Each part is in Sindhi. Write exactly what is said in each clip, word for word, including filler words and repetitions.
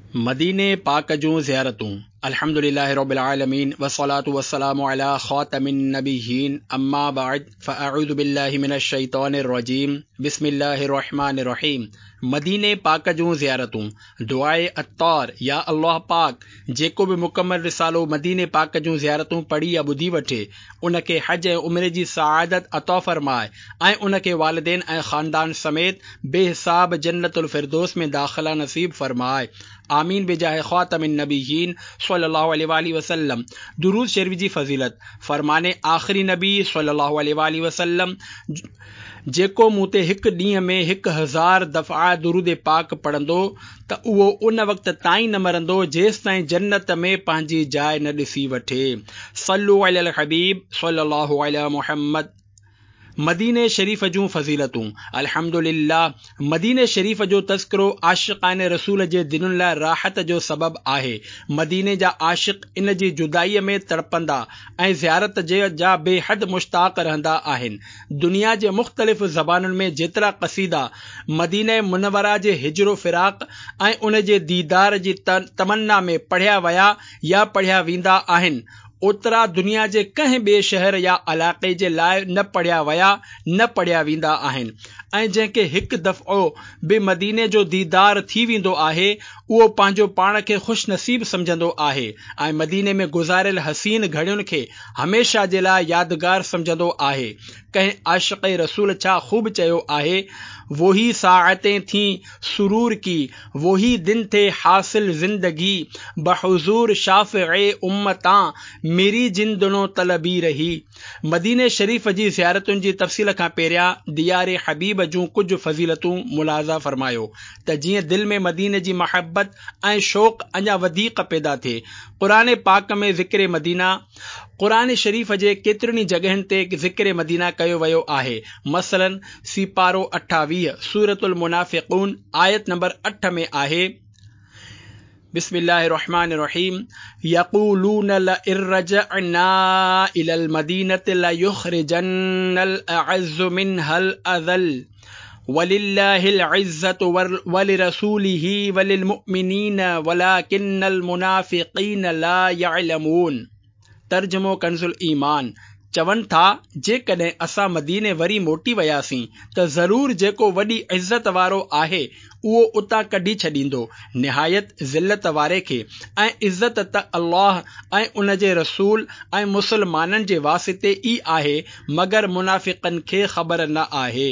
मदीने पाक जूं ज़ियारतूं। अल्हम्दुलिल्लाहि रब्बिल आलमीन वस्सलातु वस्सलामु अला खातमिन नबिय्यीन अम्मा बाद फ़अऊज़ु बिल्लाहि मिनश शैतानिर रजीम बिस्मिल्लाहिर रहमानिर रहीम। मदीने पाक जूं ज़ियारतूं। दुआए अत्तार। या अल्लाह पाक जेको बि मुकम्मल रिसालो मदीने पाक जूं ज़ियारतूं पढ़ी या ॿुधी वठे उनखे हज ऐं उम्रे जी सआदत अता फरमाए ऐं उनखे वालिदैन ऐं ख़ानदान समेत बेहिसाब जन्नतुल फिरदौस में दाख़िला नसीब फरमाए। आमीन बिजाह ख़ातमिन नबिय्यीन सल्लल्लाहु अलैहि वसल्लम। दुरूद शरीफ जी फ़ज़ीलत। फरमाने आख़िरी नबी सल्लल्लाहु अलैहि वसल्लम जेको मूं ते हिकु ॾींहं में हिकु हज़ार दफ़ा दुरूद पाक पढ़ंदो त उहो उन वक़्त ताईं न मरंदो जेसिताईं जन्नत में पंहिंजी जाइ न ॾिसी वठे। सल्लु अलल हबीब सल्लल्लाहु अलैहि मुहम्मद। मदीने शरीफ जूं फ़ज़ीलतूं। अल्हम्दुलिल्लाह मदीने शरीफ जो तज़किरो आशिक़ान रसूल जे दिलुनि लाइ राहत जो सबब आहे। मदीने जा आशिक़ इन जी जुदाईअ में तड़पंदा ऐं ज़ियारत जे जा बेहद मुश्ताक़ रहंदा आहिनि। दुनिया जे मुख़्तलिफ़ ज़बानुनि में जेतिरा क़सीदा मदीने मुनवरा जे हिजरो फ़िराक़ ऐं उन जे दीदार जी तमन्ना में पढ़िया विया या पढ़िया वेंदा आहिनि ओतिरा दुनिया जे कंहिं ॿिए शहर या इलाइक़े जे लाइ न पढ़िया विया न पढ़िया वेंदा आहिनि ऐं जंहिंखे हिकु दफ़ो बि मदीने जो दीदार थी वेंदो आहे उहो पंहिंजो पाण खे ख़ुशनसीब सम्झंदो आहे ऐं मदीने में गुज़ारियल हसीन घड़ियुनि खे हमेशह जे लाइ यादगार सम्झंदो आहे। कंहिं आशिक़ रसूल छा ख़ूब चयो आहे, वही साअतें थीं सुरूर की, वही दिन थे हासिल ज़िंदगी, बहुज़ूर शाफ़िए उम्मतां मेरी जिन दिनों तलबी रही। मदीने शरीफ जी ज़ियारतुनि जी तफ़सील खां पहिरियां दियारे हबीब जूं कुझु फ़ज़ीलतूं मुलाज़ा फरमायो त जीअं दिलि में मदीने जी मोहब्बत ऐं शौक़ अञा वधीक पैदा थिए। क़ुरान पाक में ज़िक्र मदीना। क़ुरान शरीफ जे केतिरियुनि ई जॻहियुनि ते ज़िक्र मदीना कयो वियो आहे। मसलन सीपारो अठावीह सूरतुल मुनाफ़िक़ून आयत नंबर अठ में आहे, बिस्मिल्लाहिर रहमानिर रहीम यक़ूलून लइन रजअना इलल मदीनति लयुख़रिजन्नल अअज़्ज़ु मिनहल अज़ल वलिल्लाहिल इज़्ज़तु वलिरसूलिहि वलिलमुमिनीन वलाकिन्नल मुनाफ़िक़ीन ला यअलमून। तर्जुमो कंज़ुल ईमान। चवनि था जेकॾहिं असां मदीने वरी मोटी वियासीं त ज़रूर जेको वॾी इज़त वारो आहे उहो उतां कढी छॾींदो निहायत ज़िलत वारे खे ऐं इज़त त अल्लाह ऐं उन जे रसूल ऐं मुसलमाननि जे वासिते ई आहे मगर मुनाफ़िक़नि खे ख़बर न आहे।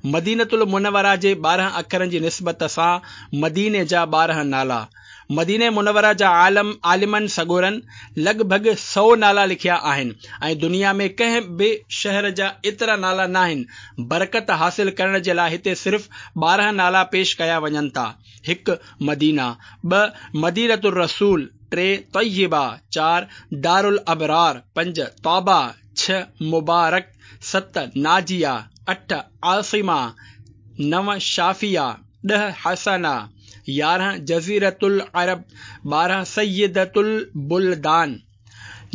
मदीनतुल मुनवरा जे ॿारहं अखरनि जी निस्बत सां मदीने जा ॿारहं नाला। मदीने मुनवरा जा आलम आलिमनि सगोरनि लॻभॻि सौ नाला लिखिया आहिनि ऐं दुनिया में कंहिं बि शहर जा एतिरा नाला न आहिनि। बरकत हासिल करण जे लाइ हिते सिर्फ़ ॿारहं नाला पेश कया वञनि था। हिकु मदीना, ॿ मदीनतुर रसूल, टे तय्यबा, चारि दारुल अबरार, पंज तौबा, छह मुबारक, सत नाजिया, अठ आसिमा, नव शाफिया, ॾह हसना, यारहं जज़ीरतुल अरब, ॿारहं सैयदतुल बुलदान।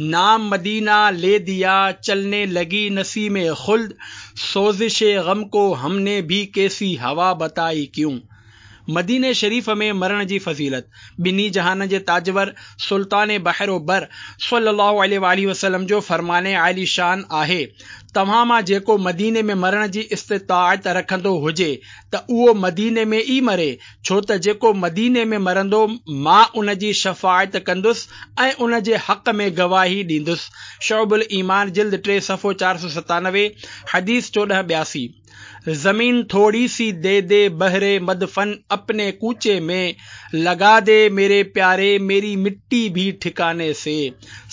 नाम मदीना ले दिया चलने लगी नसीम खुल्द, सोज़िश गम को हमने भी कैसी हवा बताई क्यों। मदीने शरीफ में मरण जी फ़ज़ीलत। ॿिन्ही जहान जे ताजवर सुल्तान बहर बर सल्लल्लाहु अलैहि वसल्लम जो फरमाने आली शान आहे, तव्हां मां जेको मदीने में मरण जी इस्तिताअत रखंदो हुजे त उहो मदीने में ई मरे, छो त जेको मदीने में मरंदो मां उन जी शफ़ाअत कंदुसि ऐं उन जे हक़ में गवाही ॾींदुसि। शउबुल ईमान जिल्द टे सफ़ो चारि सौ सतानवे हदीस चोॾहं ॿियासी। जमीन थोड़ी सी दे दे बहरे मदफन अपने कूचे में, लगा दे मेरे प्यारे मेरी मिट्टी भी ठिकाने से।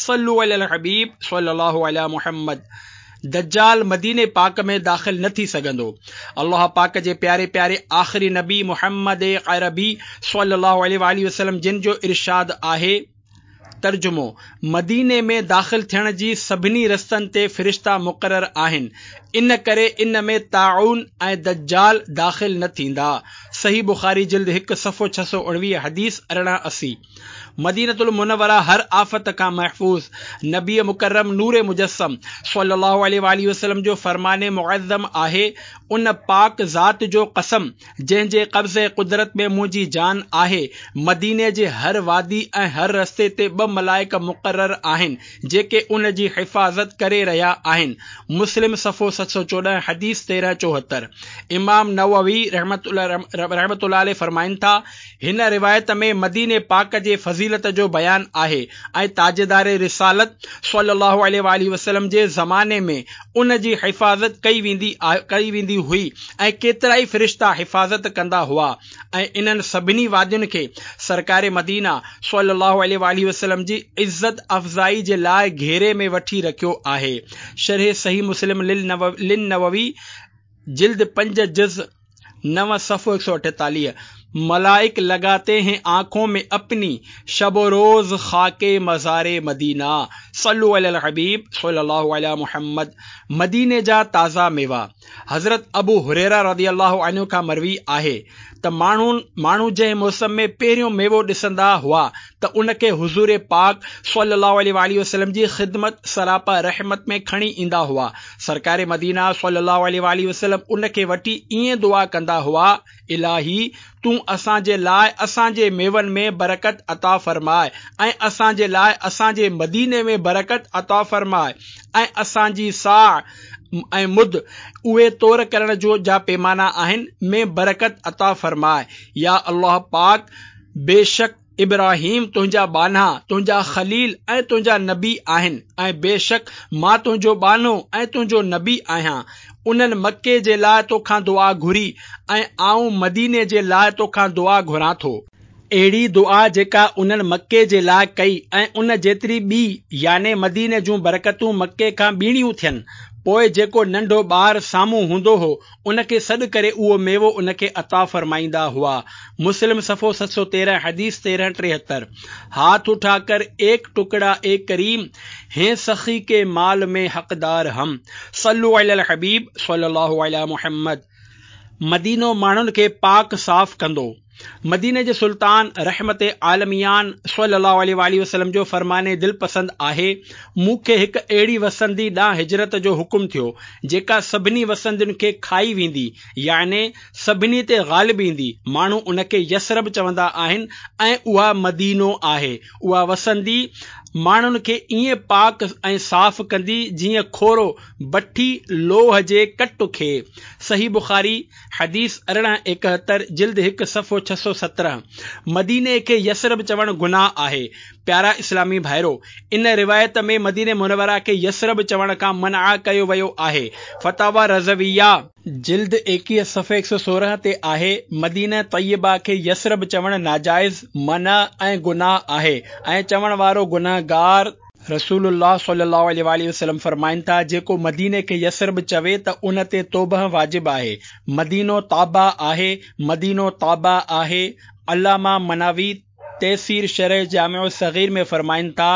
सल्लु अलल हबीब सल्लल्लाहु अलैहि मुहम्मद। दज्जाल मदीने पाक में दाख़िल न थी सघंदो। अल्लाह पाक जे प्यारे प्यारे आख़िरी नबी मुहम्मद अरबी सल्लल्लाहु अलैहि वसल्लम जिन जो इरशाद आहे, तर्जुमो मदीने में दाख़िल थियण जी सभिनी रस्तनि ते फ़रिश्ता मुक़ररु आहिनि, इन करे इन में ताउन ऐं दज्जाल दाख़िल न थींदा। सही बुखारी जिल्द हिकु सफ़ो छह सौ उणिवीह हदीस अरिड़हं असी। مدينة المنوره هر آفت کان محفوظ. نبي مڪرم نور مجسم صلي الله عليه وآله وسلم جو فرمان معظم آهي، ان پاڪ ذات جو قسم جنهن جي قبضه قدرت ۾ منهنجي جان آهي، مديني جي هر وادي ۽ هر رستي تي ٻه ملائڪ مقرر آهن جيڪي ان جي حفاظت ڪري رهيا آهن. مسلم صفحو ست سؤ چوڏهن حديث تيرهن چوهتر. امام نووي رحمة الله عليه فرمائن ٿا، هن روايت ۾ مديني پاڪ جي فضيلت جو بيان آهي ۽ تاجدار رسالت صلي الله عليه وآله وسلم جي زماني ۾ ان جي حفاظت ڪئي ويندي ڪئي ويندي هئي ۽ ڪيترائي فرشتا حفاظت ڪندا هئا ۽ انهن سڀني وادين کي سرڪار مدينه صلي الله عليه وآله وسلم جي عزت افزائي جي لاء گهيري ۾ وٺي رکيو آهي. شرح صحيح مسلم للنووي جلد پنج جز نو صفحو هڪ سؤ اٺيتاليهه. ملائڪ لگاتي هين آنکون ۾ اپني شب و روز خاڪ مزار مدينه صلو علي الحبيب صلي الله علي محمد. مديني جا تازا ميوا. حضرت ابو هريره رضي الله عنه کان مروي آهي ته ماڻهو ماڻهو جنهن موسم ۾ پهريون ميوو ڏسندا هئا ته ان کي حضور پاڪ صلي الله عليه وآله وسلم جي خدمت سراپا رحمت ۾ کڻي ايندا هئا. سرڪار مدينه صلي الله عليه وآله وسلم ان کي وٺي ائين دعا ڪندا هئا، الٰهي تون اسان جي لاء اسان جي ميون ۾ برڪت عطا فرماء ۽ اسان جي لاء اسان جي مديني ۾ برڪت عطا فرماء ۽ اسان جي صاع ۽ مد اهي تور ڪرڻ جو جا پيمانا آهن ۾ برڪت عطا فرماء. يا الله پاڪ بيشڪ ابراهيم تنهنجا ٻانها، تنهنجا خليل ۽ تنهنجا نبي آهن ۽ بيشڪ مان تنهنجو ٻانهو ۽ تنهنجو نبي آهيان. انهن مڪي جي لاء توکان دعا گهري ۽ آئون مديني جي لاء توکان دعا گهران ٿو. اهڙي دعا جيڪا انهن مڪي جي لاء ڪئي ۽ ان جيتري ٻي يعني مديني جون برڪتون مڪي کان ٻيڻيون ٿين. پوء جيڪو ننڍو ٻار سامهون هوندو هو ان کي سڏ ڪري اهو ميوو ان کي عطا فرمائيندا هئا. مسلم صفحو ست سؤ تيرهن حديث تيرهن ٽيهتر. هاٿ اٺا ڪر ايڪ ٽڪڙا اي ڪريم هين سخي ڪي مال ۾ حقدار هم. صلو علي الحبيب صلي الله علي محمد. مدينو ماڻهن کي پاڪ صاف ڪندو. مديني جي سلطان رحمت عالميان صلي الله عليه وآله وسلم جو فرمان دلپسند آهي، مون کي هڪ اهڙي وسندي ڏانهن هجرت جو حڪم ٿيو، جيڪا سڀني وسندين کي کائي ويندي، يعني سڀني تي غالب ايندي، ماڻهو ان کي يثرب چوندا آهن ۽ اها مدينو آهي، اها وسندي ماڻهن کي ائين پاڪ ۽ صاف ڪندي جيئن کورو بٺي لوهه جي ڪٽ کي. صحيح بخاري حديث ارڙهن ايڪهتر جلد هڪ صفحو ڇهه سؤ سترهن. مديني کي يثرب چوڻ گناهه آهي. پيارا اسلامي ڀائرو! ان روايت ۾ مديني منوره کي يثرب چوڻ کان منع ڪيو ويو آهي. فتاويٰ رضويه، جلد ايڪيهه صفحي هڪ سؤ سورهن تي آهي، مدينه طيبه کي يثرب چوڻ ناجائز، منع ۽ گناهه آهي ۽ چوڻ وارو گنهگار. رسول الله صلي الله عليه وآله وسلم فرمائن ٿا، جيڪو مديني کي يثرب چوي ته ان تي توبهه واجب آهي. مدينو طابه آهي، مدينو طابه آهي. علامه مناوي تيسير شرح جامع الصغير ۾ فرمائن ٿا،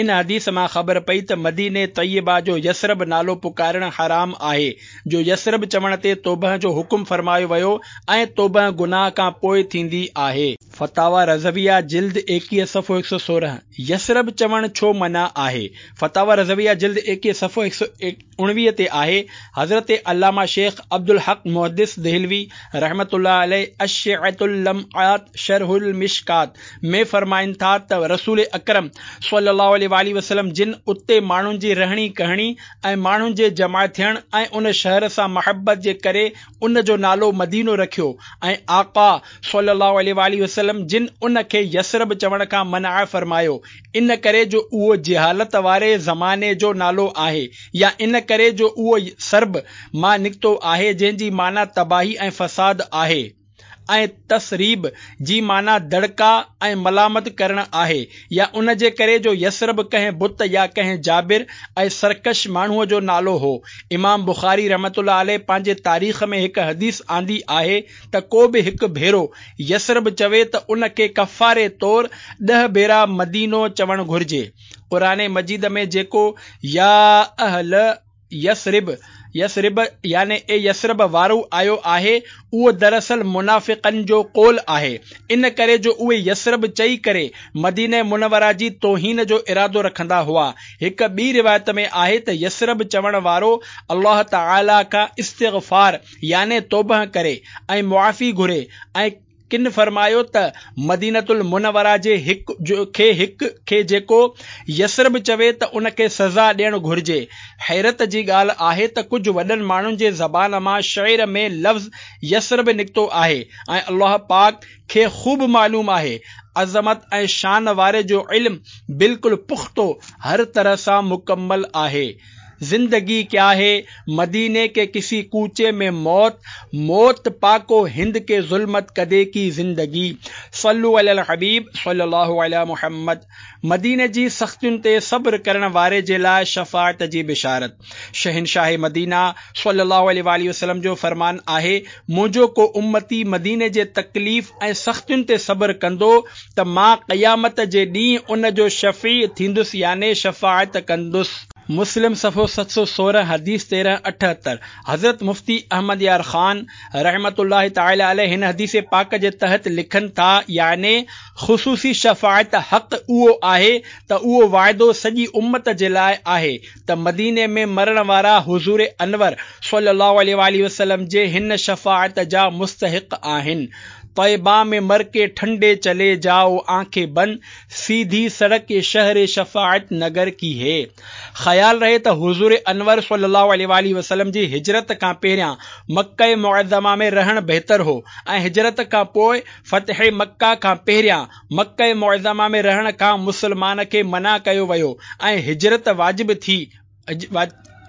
ان حديث مان خبر پئي ته مديني طيبه جو يثرب نالو پڪارڻ حرام آهي، جو يثرب چوڻ تي توبهه جو حڪم فرمايو ويو ۽ توبهه گناهه کان پوء ٿيندي آهي. فتاويٰ رضويه جلد ايڪيهه صفحو هڪ سؤ سورهن. يثرب چوڻ ڇو منع آهي؟ فتاويٰ رضويه جلد ايڪيهه صفحو هڪ سؤ اڻويهه تي آهي، حضرت علامه شيخ عبدالحق محدث دهلوي رحمة الله عليه اشعة اللمعات شرح المشڪات ۾ فرمائن ٿا ته رسول اڪرم صلي الله عليه واٰله وسلم جن اتي ماڻهن جي رهڻي ڪهڻي ۽ ماڻهن جي جمع ٿيڻ ۽ ان شهر سان محبت جي ڪري ان جو نالو مدينو رکيو ۽ آقا صلي الله عليه واٰله وسلم جن ان کي يثرب چوڻ کان منع فرمايو ان ڪري جو اهو جهالت واري زماني جو نالو آهي يا ان ڪري جو اهو ثرب مان نڪتو آهي جنهن جي معنيٰ تباهي ۽ فساد آهي ۽ تثريب جي معنيٰ دڙڪا ۽ ملامت ڪرڻ آهي يا ان جي ڪري جو يثرب ڪنهن بت يا ڪنهن جابر ۽ سرڪش ماڻهوء جو نالو هو. امام بخاري رحمة الله عليه پنهنجي تاريخ ۾ هڪ حديث آندي آهي ته ڪو به هڪ ڀيرو يثرب چوي ته ان کي ڪفاري طور ڏهه ڀيرا مدينو چوڻ گهرجي. قرآن مجيد ۾ جيڪو يا اهل يثرب يثرب يعني اي يثرب وارو آيو آهي، اهو دراصل منافقن جو قول آهي، ان ڪري جو اهي يثرب چئي ڪري مدينه منوره جي توهين جو ارادو رکندا هئا. هڪ ٻي روايت ۾ آهي ته يثرب چوڻ وارو الله تعاليٰ کان استغفار يعني توبه ڪري ۽ معافي گهري ۽ ڪن فرمايو ته مدينة المنوره جي هڪ کي هڪ کي جيڪو يثرب چوي ته ان کي سزا ڏيڻ گهرجي. حيرت جي ڳالهه آهي ته ڪجهه وڏن ماڻهن جي زبان مان شعر ۾ لفظ يثرب نڪتو آهي ۽ الله پاڪ کي خوب معلوم آهي. عظمت ۽ شان واري جو علم بلڪل پختو هر طرح سان مڪمل آهي. زندگي ڪيا هي مديني ڪي ڪسي ڪوچي ۾ موت، موت پاڪو هند ڪي ظلمت ڪدي ڪي زندگي. صلو علي الحبيب صلي الله علي محمد. مديني جي سختين تي صبر ڪرڻ واري جي لاء شفاعت جي بشارت. شهنشاهه مدينه صلي الله عليه واٰله وسلم جو فرمان آهي، منهنجو ڪو امتي مديني جي تڪليف ۽ سختين تي صبر ڪندو ته مان قيامت جي ڏينهن ان جو شفيع ٿيندس يعني شفاعت ڪندس. مسلم صفحو ست سؤ سورهن حديث تيرهن اٺهتر. حضرت مفتي احمد يار خان رحمة الله تعالٰي عليه هن حديث پاڪ جي تحت لکن ٿا، يعني خصوصي شفاعت حق اهو آهي ته اهو وعدو سڄي امت جي لاء آهي ته مديني ۾ مرڻ وارا حضور انور صلي الله عليه واٰله وسلم جي هن شفاعت جا مستحق آهن. طيبه ۾ مر ڪي ٺنڊي چلي جائو آنکين بند سيڌي سڙڪ شهر شفاعت نگر ڪي هي. خيال رهي ته حضور انور صلي الله عليه واٰله وسلم جي هجرت کان پهريان مڪه معظمه ۾ رهڻ بهتر هو ۽ هجرت کان پوء فتح مڪه کان پهريان مڪه معظمه ۾ رهڻ کان مسلمان کي منع ڪيو ويو ۽ هجرت واجب ٿي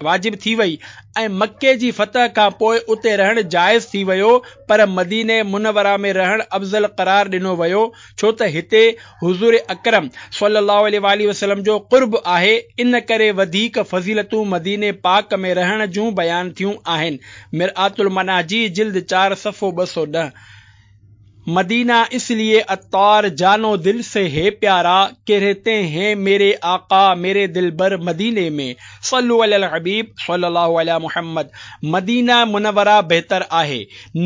واجب ٿي وئي ۽ مڪي جي فتح کان پوء اتي رهڻ جائز ٿي ويو پر مدينه منوره ۾ رهڻ افضل قرار ڏنو ويو ڇو ته هتي حضور اڪرم صلي الله عليه واٰله وسلم جو قرب آهي ان ڪري وڌيڪ فضيلتون مديني پاڪ ۾ رهڻ جون بيان ٿيون آهن. مرآة المناجي جلد چار صفحو ٻه سؤ ڏهه. مدينه اس ليي عطار جانو دل سي هي پيارا ڪه رهتي هين ميري آقا ميري دلبر مديني ۾ صلو علي الحبيب صلي الله علي محمد مدينه منوره بهتر آهي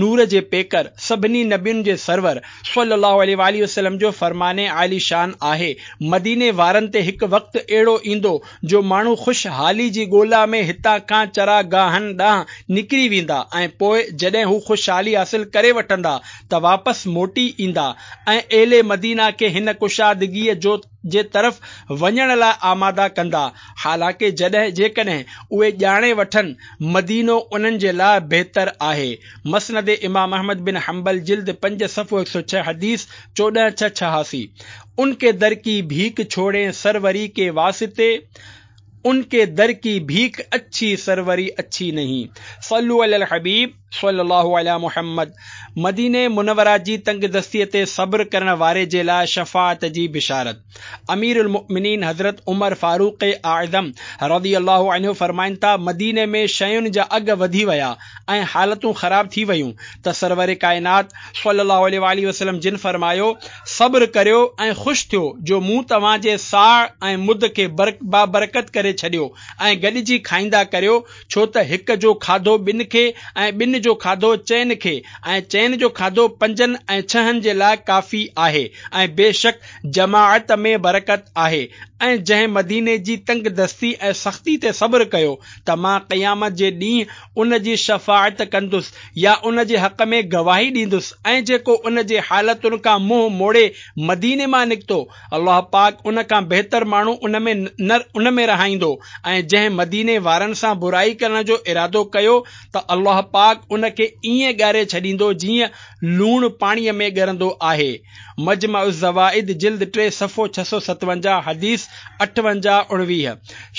نور جي پيڪر سڀني نبين جي سرور صلي الله عليه واٰله وسلم جو فرمان عالي شان آهي مديني وارن تي هڪ وقت اهڙو ايندو جو ماڻهو خوش حالي جي ڳولا ۾ هتان کان چراگاهن ڏانهن نڪري ويندا ۽ پوء جڏهن هو خوشحالي حاصل ڪري وٺندا ته واپس موٽي ايندا ۽ اهل مدينه کي هن ڪشادگيء جو جي طرف وڃڻ لاء آماده ڪندا، حالانڪه جڏهن جيڪڏهن اهي ڄاڻي وٺن مدينو انهن جي لاء بهتر آهي. مسند امام احمد بن حنبل جلد پنج صفحو هڪ سؤ ڇهه حديث چوڏهن ڇهه ڇهاسي. ان ڪي در ڪي ڀيڪ ڇوڙين سروري ڪي واسطي، ان ڪي در ڪي ڀيڪ اڇي سروري اڇي نهين. صلو علي الحبيب صلي الله علي محمد. مدينه منوره جي تنگدستي تي صبر ڪرڻ واري جي لاء شفاعت جي بشارت. امير المؤمنين حضرت عمر فاروق اعظم رضي الله عنه فرمائن ٿا، مديني ۾ شين جا اگهه وڌي ويا ۽ حالتون خراب ٿي ويون ته سرور ڪائنات صلي الله عليه واٰله وسلم جن فرمايو، صبر ڪريو ۽ خوش ٿيو جو مون توهان جي صاع ۽ مد کي بابرڪت ڪري ڇڏيو ۽ گڏجي کائيندا ڪريو ڇو ته هڪ جو کاڌو ٻن کي ۽ ٻن جو کاڌو چئن کي ۽ چئن جو کاڌو پنجن ۽ ڇهن جي لاء ڪافي آهي ۽ بيشڪ جماعت ۾ برڪت آهي ۽ جنهن مديني جي تنگدستي ۽ سختي تي صبر ڪيو ته مان قيامت جي ڏينهن ان جي شفاعت ڪندس يا ان جي حق ۾ گواهي ڏيندس ۽ جيڪو ان جي حالتن کان منهن موڙي مديني مان نڪتو الله پاڪ ان کان بهتر ماڻهو ان ۾ ان ۾ رهائيندو ۽ جنهن مديني وارن سان برائي ڪرڻ جو ارادو ڪيو ته الله پاڪ ان کي ائين ڳاري ڇڏيندو جيئن لوڻ پاڻيء ۾ ڳرندو آهي. مجمع الزوائد جلد ٽي صفحو ڇهه سؤ ستونجاهه حديث اٺونجاهه اڻويهه.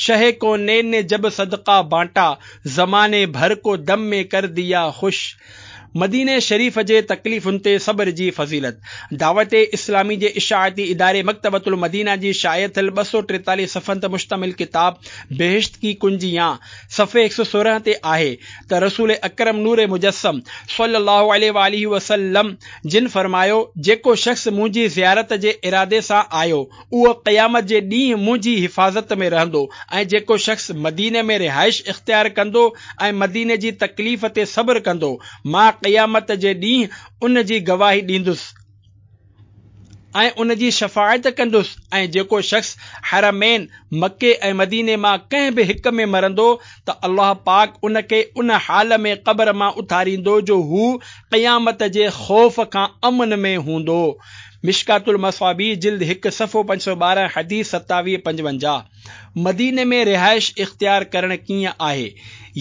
شهه ڪونين ني جب صدقه بانٽا، زماني ڀر ڪو دم ۾ ڪر ديا خوش. مديني شريف جي تڪليفن تي صبر جي فضيلت. دعوت اسلامي جي اشاعتي اداري مڪتبة المدينه جي شايع ٿيل ٻه سؤ ٽيتاليهه صفحن تي مشتمل ڪتاب بهشت ڪي ڪنجيان صفحي هڪ سؤ سورهن تي آهي ته رسول اڪرم نور مجسم صلي الله عليه واٰله وسلم جن فرمايو، جيڪو شخص منهنجي زيارت جي ارادي سان آيو اهو قيامت جي ڏينهن منهنجي حفاظت ۾ رهندو ۽ جيڪو شخص مديني ۾ رهائش اختيار ڪندو ۽ مديني جي تڪليف تي صبر ڪندو، مان قيامت جي ڏينهن ان جي گواهي ڏيندس ۽ ان جي شفاعت ڪندس ۽ جيڪو شخص حرمين مڪي ۽ مديني مان ڪنهن به هڪ ۾ مرندو ته الله پاڪ ان کي ان حال ۾ قبر مان اٿاريندو جو هو قيامت جي خوف کان امن ۾ هوندو. مشڪات المصابيح جلد هڪ صفحو پنج سؤ ٻارهن حديث ستاويهه پنجونجاهه. مديني ۾ رهائش اختيار ڪرڻ ڪيئن آهي؟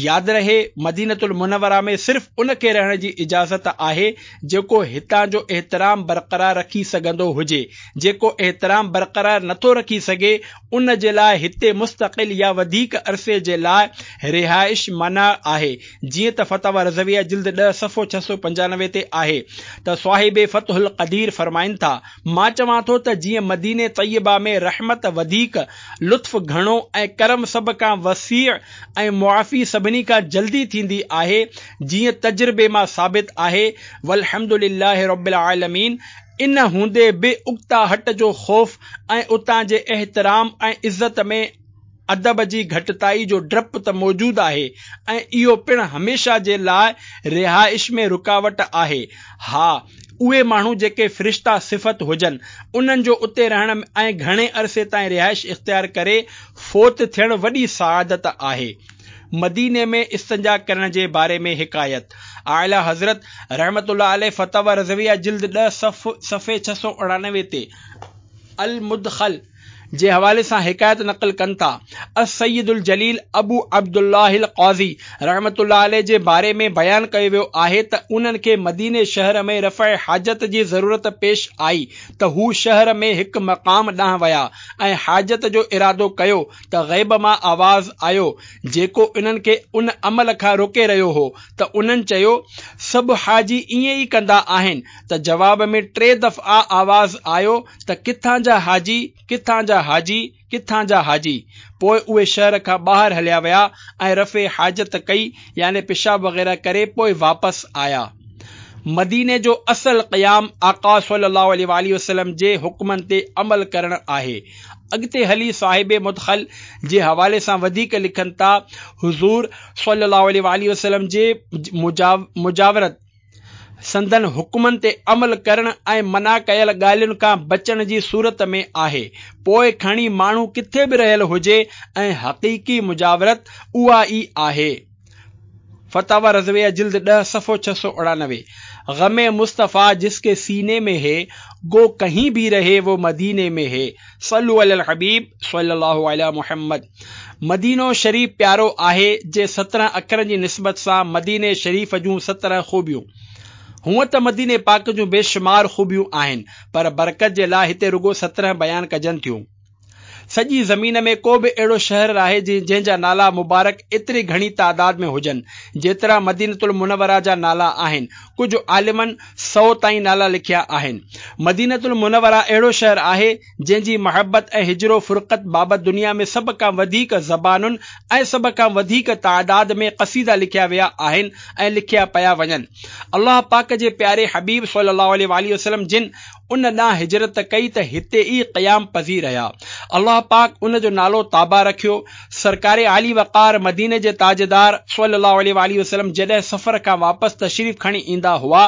ياد رهي، مدينة المنوره ۾ صرف ان کي رهڻ جي اجازت آهي جيڪو هتان جو احترام برقرار رکي سگهندو هجي، جيڪو احترام برقرار نٿو رکي سگهي ان جي لاء هتي مستقل يا وڌيڪ عرصي جي لاء رهائش منع آهي، جيئن ته فتاويٰ رضويه جلد ڏهه صفحو ڇهه سؤ پنجانوي تي آهي ته صاحب فتح القدير فرمائن ٿا، مان چوان ٿو ته جيئن مديني طيبه ۾ رحمت وڌيڪ، لطف گهڻو ۽ ڪرم سڀ کان وسيع ۽ معافي سڀني کان جلدي ٿيندي آهي، جيئن تجربي مان ثابت آهي، والحمد لله رب العالمين، ان هوندي به اڪتاهٽ جو خوف ۽ اتان جي احترام ۽ عزت ۾ ادب جي گهٽتائي جو ڊپ ته موجود آهي ۽ اهو پڻ هميشه جي لاء رهائش ۾ رڪاوٽ آهي. ها، اهي ماڻهو جيڪي فرشتا صفت هجن، انهن جو اتي رهڻ ۽ گهڻي عرصي تائين رهائش اختيار ڪري فوت ٿيڻ وڏي سعادت آهي. مديني ۾ استنجا ڪرڻ جي باري ۾ حڪايت. اعليٰ حضرت رحمة الله عليه فتاويٰ رضويه جلد ڏهه صفحي ڇهه سؤ اڻانوي تي المدخل جي حوالي سان حڪايت نقل ڪن ٿا، السيد الجليل ابو عبدالله القاضي رحمة الله عليه جي باري ۾ بيان ڪيو ويو آهي ته انهن کي مديني شهر ۾ رفع حاجت جي ضرورت پيش آئي ته هو شهر ۾ هڪ مقام ڏانهن ويا ۽ حاجت جو ارادو ڪيو ته غيب مان آواز آيو جيڪو انهن کي ان عمل کان روڪي رهيو هو ته انهن چيو، سڀ حاجي ائين ئي ڪندا آهن ته جواب ۾ ٽي دفعا آواز آيو ته ڪٿان جا حاجي، ڪٿان جا حاجي، ڪٿان جا حاجي. پوء اهي شهر کان ٻاهر هليا ويا ۽ رفع حاجت ڪئي يعني پيشاب وغيره ڪري پوء واپس آيا. مديني جو اصل قيام آقا صلي الله عليه واٰله وسلم جي حڪمن تي عمل ڪرڻ آهي. اڳتي هلي صاحب مدخل جي حوالي سان وڌيڪ لکن ٿا، حضور صلي الله عليه واٰله وسلم جي مجاورت، سندن حڪمن تي عمل ڪرڻ ۽ منع ڪيل ڳالهين کان بچڻ جي صورت ۾ آهي، پوء کڻي ماڻهو ڪٿي به رهيل هجي ۽ حقيقي مجاورت اها ئي آهي. فتاويٰ رضويه جلد ڏهه صفحو ڇهه سؤ اڻانوي. غم مصطفيٰ جس ڪي سيني ۾ هي، گو ڪهين ڀي رهي وو مديني ۾ هي. صلو علي الحبيب صلي الله علي محمد. مدينو شريف پيارو آهي جي سترهن اکرن جي نسبت سان مديني شريف جون سترهن خوبيون. هونء ته مديني پاڪ جون بيشمار خوبيون آهن، پر برڪت جي لاء هتي رڳو سترهن بيان ڪجن ٿيون. سڄي زمين ۾ ڪو به اهڙو شهر ناهي جنهن جا نالا مبارڪ ايتري گهڻي تعداد ۾ هجن، جيترا مدينة المنوره جا نالا آهن. ڪجهه عالمن سؤ تائين نالا لکيا آهن. مدينة المنوره اهڙو شهر آهي، جنهن جي محبت ۽ هجر و فرقت بابت دنيا ۾ سڀ کان وڌيڪ زبانن ۽ سڀ کان وڌيڪ تعداد ۾ قصيدا لکيا ويا آهن ۽ لکيا پيا وڃن. الله پاڪ جي پياري حبيب صلي الله عليه واٰله وسلم جن ان ڏانهن هجرت ڪئي ته هتي ئي قيام پذير رهيا. الله پاڪ ان جو نالو طابه رکيو. سرڪار عالي وقار مديني جي تاجدار صلي الله عليه واٰله وسلم جڏهن سفر کان واپس تشريف کڻي ايندا هئا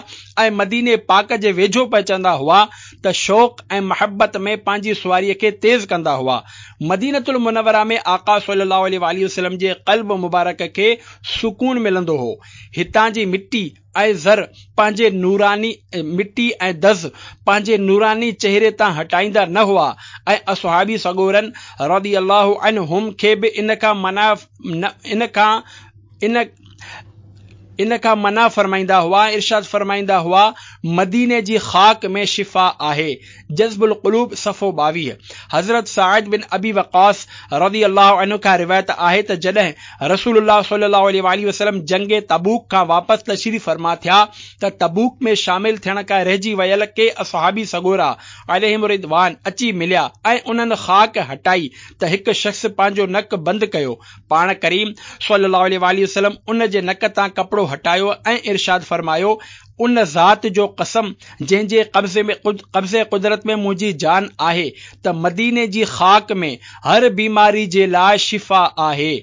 ۽ مديني پاڪ جي ويجهو پهچندا هئا ته شوق ۽ محبت ۾ پنهنجي سواريء کي تيز ڪندا هئا. مدينة المنوره ۾ آقا صلي الله عليه واٰله وسلم جي قلب مبارڪ کي سڪون ملندو هو. هتان جي مٽي ۽ زر پنهنجي نوراني مٽي ۽ دز پنهنجي نوراني چهري تان هٽائيندا نه هئا ۽ اصحابي سڳورن رضي الله عنهم کي به ان کان منع ان کان ان ان کان منع فرمائيندا هئا ۽ ارشاد فرمائيندا هئا، مديني جي خاڪ ۾ شفا آهي. جذب القلوب صفحو ٻاويهه. حضرت سعد بن ابي وقاص رضي الله عنه کان روايت آهي ته جڏهن رسول الله صلي الله عليه واٰله وسلم جنگ تبوڪ کان واپس تشريف فرما ٿيا ته تبوڪ ۾ شامل ٿيڻ کان رهجي ويل ڪي اصحابي سڳورا عليهم الرضوان اچي مليا ۽ انهن خاڪ هٽائي ته هڪ شخص پنهنجو نڪ بند ڪيو. پاڻ ڪريم صلي الله عليه واٰله وسلم ان جي نڪ تان ڪپڙو هٽايو ۽ ارشاد فرمايو، ان ذات جو قسم جنهن جي قبضي ۾ قبضي قدرت ۾ منهنجي جان آهي ته مديني جي خاڪ ۾ هر بيماري جي لاء شفا آهي.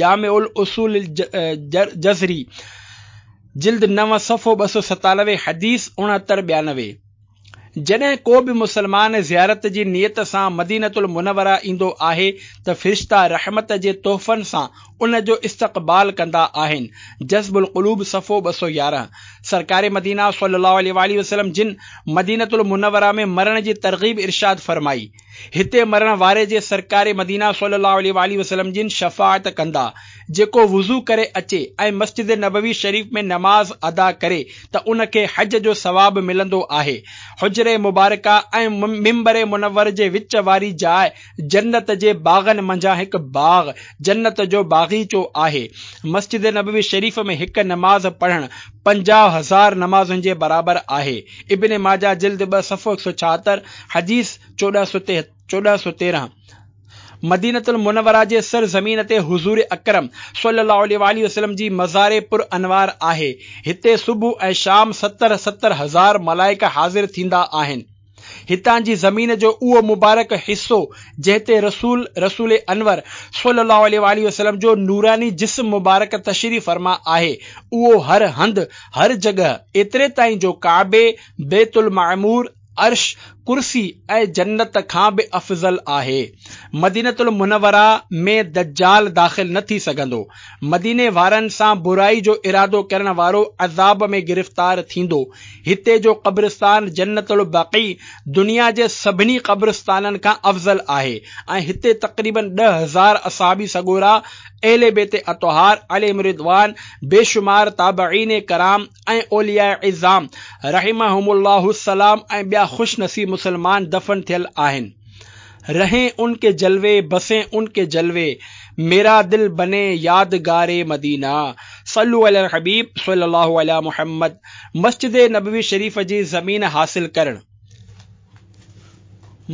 جامع الاصول الجزري جلد نو صفحو ٻه سؤ ستانوي حديث اڻهتر ٻيانوي. جڏهن ڪو به مسلمان زيارت جي نيت سان مدينة المنوره ايندو آهي ته فرشتا رحمت جي تحفن سان ان جو استقبال ڪندا آهن. جذب القلوب صفحو ٻه سؤ يارهن. سرڪار مدينه صلي الله عليه واٰله وسلم جن مدينة المنوره ۾ مرڻ جي ترغيب ارشاد فرمائي. هتي مرڻ واري جي سرڪار مدينه صلي الله عليه واٰله وسلم جن شفاعت ڪندا. جيڪو وضو ڪري اچي ۽ مسجد نبوي شريف ۾ نماز ادا ڪري ته ان کي حج جو ثواب ملندو آهي. حجر مبارڪه ۽ منبر منور جي وچ واري جاء جنت جي باغن منجهان هڪ باغ جنت جو باغيچو آهي. مسجد نبوي شريف ۾ هڪ نماز پڙهڻ پنجاهه هزار نمازن جي برابر آهي. ابن ماجه جلد ٻه صفحو هڪ سؤ ڇاهتر حديث چوڏهن سؤ تيرهن. مدينة المنوره جي سرزمين تي حضور اڪرم صلي الله عليه واٰله وسلم جي مزار پر انوار آهي. هتي صبح ۽ شام ستر ستر هزار ملائڪ حاضر ٿيندا آهن. هتان جي زمين جو اهو مبارڪ حصو جنهن تي رسول رسول انور صلي الله عليه واٰله وسلم جو نوراني جسم مبارڪ تشريف فرما آهي اهو هر هنڌ هر جڳهه ايتري تائين جو ڪعبي، بيت المعمور، عرش، ڪرسي ۽ جنت کان به افضل آهي. مدينة المنوره ۾ دجال داخل نه ٿي سگهندو. مديني وارن سان برائي جو ارادو ڪرڻ وارو عذاب ۾ گرفتار ٿيندو. هتي جو قبرستان جنت البقيع دنيا جي سڀني قبرستانن کان افضل آهي ۽ هتي تقريباً ڏهه هزار اصحابي سڳورا، اهل بيت اطهار عليهم الرضوان، بيشمار تابعين ڪرام ۽ اولياء عظام رحمهم الله السلام ۽ ٻيا خوش نصيب مسلمان دفن ٿيل آهن. رهين ان ڪي جلوي بسين ان ڪي جلوي ميرا دل بني يادگار مدينه صلو علي الحبيب صلي الله علي محمد. مسجد نبوي شريف جي زمين حاصل ڪرڻ.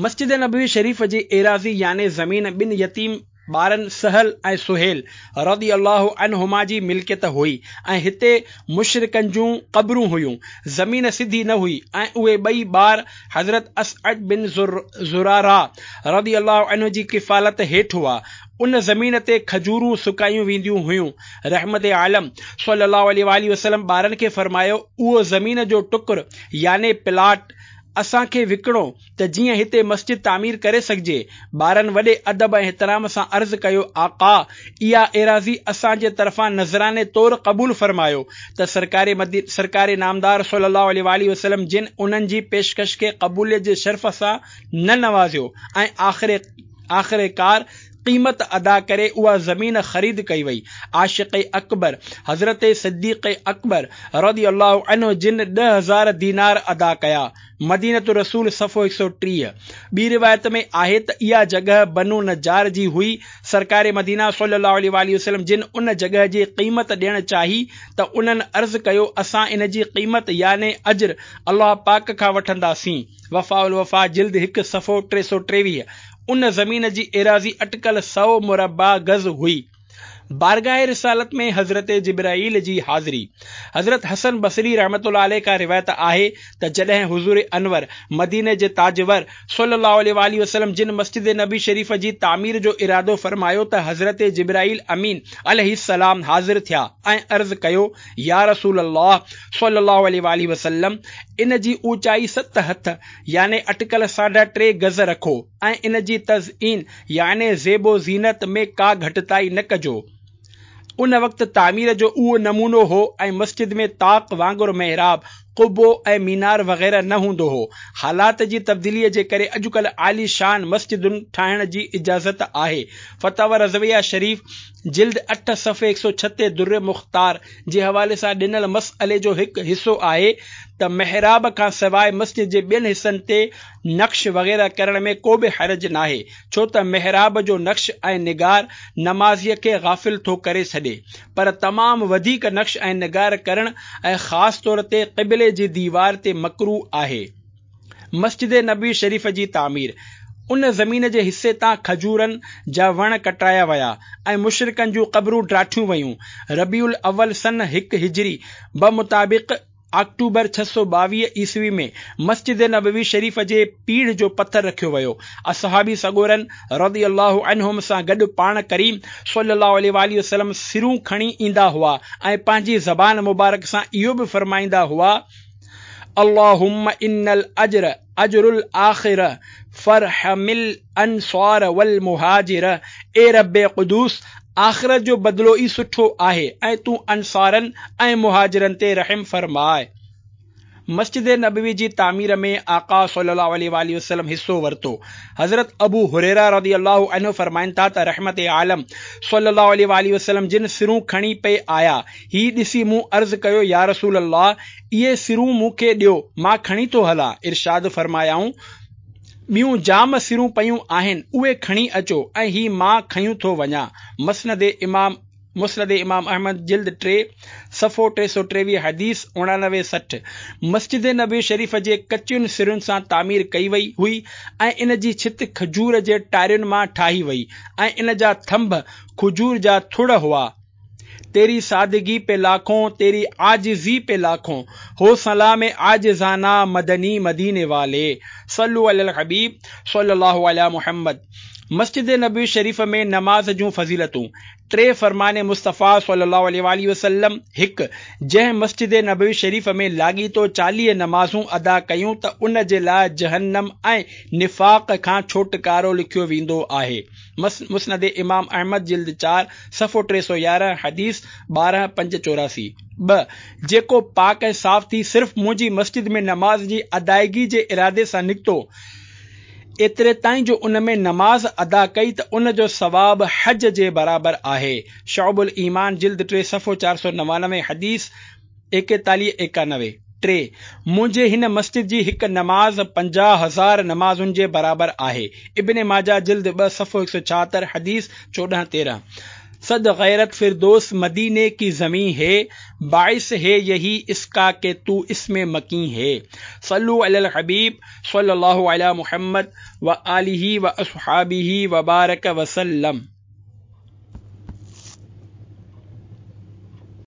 مسجد نبوي شريف جي ايراضي يعني زمين ٻن يتيم ٻارن سهل ۽ سهيل رضي الله عنهما جي ملڪيت هئي ۽ هتي مشرڪن جون قبرون هيون. زمين سڌي نه هئي ۽ اهي ٻئي ٻار حضرت اسعد بن زراره رضي الله عنه جي ڪفالت هيٺ هئا. ان زمين تي کجورون سڪايون وينديون هيون. رحمت عالم صلي الله عليه واٰله وسلم ٻارن کي فرمايو، اهو زمين جو ٽڪر يعني پلاٽ اسان کي وڪڻو ته جيئن هتي مسجد تعمير ڪري سگهجي. ٻارن وڏي ادب ۽ احترام سان عرض ڪيو، آقا! اها ايراضي اسان جي طرفان نذراني طور قبول فرمايو ته سرڪار سرڪار نامدار صلي الله عليه واٰله وسلم جن انهن جي پيشڪش کي قبوليت جي شرف سان نه نوازيو ۽ آخر آخرڪار قيمت ادا ڪري اها زمين خريد ڪئي وئي. عاشق اڪبر حضرت صديق اڪبر رضي الله عنه جن ڏهه هزار دينار ادا ڪيا. مدينة الرسول صفحو هڪ سؤ ٽيهه. ٻي روايت ۾ آهي ته اها جڳهه بنو نجار جي هئي. سرڪار مدينه صلي الله عليه واٰله وسلم جن ان جڳهه جي قيمت ڏيڻ چاهي ته انهن عرض ڪيو اسان ان جي قيمت يعني اجر الله پاڪ کان وٺنداسين. وفاء الوفا جلد هڪ صفحو ٽي سؤ ٽيويهه. ان زمين جي ايراضي اٽڪل سؤ مربع گز هئي. بارگاهه رسالت ۾ حضرت جبرائيل جي حاضري. حضرت حسن بصري رحمة الله عليه کان روايت آهي ته جڏهن حضور انور، مديني جي تاجور، صلي الله عليه واٰله وسلم جن مسجد نبوي شريف جي تعمير جو ارادو فرمايو ته حضرت جبرائيل امين عليه السلام حاضر ٿيا ۽ عرض ڪيو، يا رسول الله صلي الله عليه واٰله وسلم! ان جي اوچائي ست هٿ يعني اٽڪل ساڍا ٽي گز رکو ۽ ان جي تزئين يعني زيب و زينت ۾ ڪا گهٽتائي نه ڪجو. ان وقت تعمير جو اهو نمونو هو ۽ مسجد ۾ طاق وانگر محراب، قبو ۽ مينار وغيره نه هوندو هو. حالات جي تبديليء جي ڪري اڄڪلهه عاليشان مسجدن ٺاهڻ جي اجازت آهي. فتاويٰ رضويه شريف جلد اٺ صفحي هڪ سؤ ڇهه تي در مختار جي حوالي سان ڏنل مسئلي جو هڪ حصو آهي ته محراب کان سواء مسجد جي ٻين حصن تي نقش وغيره ڪرڻ ۾ ڪو به حرج ناهي، ڇو ته محراب جو نقش ۽ نگار نمازيء کي غافل ٿو ڪري ڇڏي، پر تمام وڌيڪ نقش ۽ نگار ڪرڻ ۽ خاص طور تي قبلي جي ديوار تي مڪروه آهي. مسجد نبوي شريف جي تعمير، ان زمين جي حصي تان کجورن جا وڻ ڪٽرايا ويا ۽ مشرڪن جون قبرون ڊاٺيون ويون. ربيع الاول سن هڪ هجري بمطابق آڪٽوبر ڇهه سؤ ٻاويهه عيسوي ۾ مسجد نبوي شريف جي پيڙهه جو پٿر رکيو ويو. اصحابي سڳورن رضي الله عنهم سان گڏ پاڻ ڪريم صلي الله عليه واٰله وسلم سرون کڻي ايندا هئا ۽ پنهنجي زبان مبارڪ سان اهو به فرمائيندا هئا، اللهم ان الاجر اجر الاخرة فارحم الانصار والمهاجر اي رب قدوس! آخرت جو بدلو ئي سٺو آهي ۽ تون انصارن ۽ مهاجرن تي رحم فرماء. مسجد نبوي جي تعمير ۾ آقا صلي الله عليه واٰله وسلم حصو ورتو. حضرت ابو هريره رضي الله عنه فرمائن ٿا ته رحمت عالم صلي الله عليه واٰله وسلم جن سرون کڻي پئي آيا، هي ڏسي مون عرض ڪيو يا رسول الله! اهي سرون مون کي ڏيو، مان کڻي ٿو هلان. ارشاد فرمايائون، ٻيون جام سرون پيون آهن، اهي کڻي اچو ۽ هي مان کنيون ٿو وڃان. مسند امام مسند امام احمد جلد ٽي، صفحو ٽي سؤ ٽيويهه حديث اڻانوي سٺ. مسجد نبوي شريف جي ڪچين سرن سان تعمير ڪئي وئي هئي ۽ ان جي ڇت کجور جي ٽارين مان ٺاهي وئي ۽ ان جا ٿنڀ کجور جا ٿڙ هئا. تيري سادگي پي لاکون تيري عاجزي پي لاکون هو سلام عاجزانه مدني مديني والي صلو علي الحبيب صلي الله علي محمد مسجد نبوي شريف ۾ نماز جون فضيلتون ٽي فرمان مصطفيٰ صلي الله عليه واٰله وسلم هڪ جنهن مسجد نبوي شريف ۾ لاڳيتو چاليهه نمازون ادا ڪيون ته ان جي لاء جهنم ۽ نفاق کان ڇوٽڪارو لکيو ويندو آهي. مسند امام احمد جلد چار، صفحو ٽي سؤ يارهن، حديث ٻارهن پنج چوراسي. ٻه، جيڪو پاڪ ۽ صاف ٿي صرف منهنجي مسجد ۾ نماز جي ادائگي جي ارادي سان نڪتو، ايتري تائين جو ان ۾ نماز ادا ڪئي ته ان جو ثواب حج جي برابر آهي. شعب الايمان جلد ٽي، صفحو چار سؤ نوانوي، حديث ايڪيتاليهه ايڪانوي. ٽي، منهنجي هن مسجد جي هڪ نماز پنجاهه هزار نمازن جي برابر آهي. ابن ماجه جلد ٻه صفحو هڪ سؤ ڇاهتر حديث چوڏهن تيرهن. صد غيرت فردوس مديني ڪي زمين هي، باعث هي يهي اس ڪا ڪي تو اس ۾ مڪين هي. صلو علي الحبيب صلي الله علي محمد وآله واصحابه وبارڪ وسلم.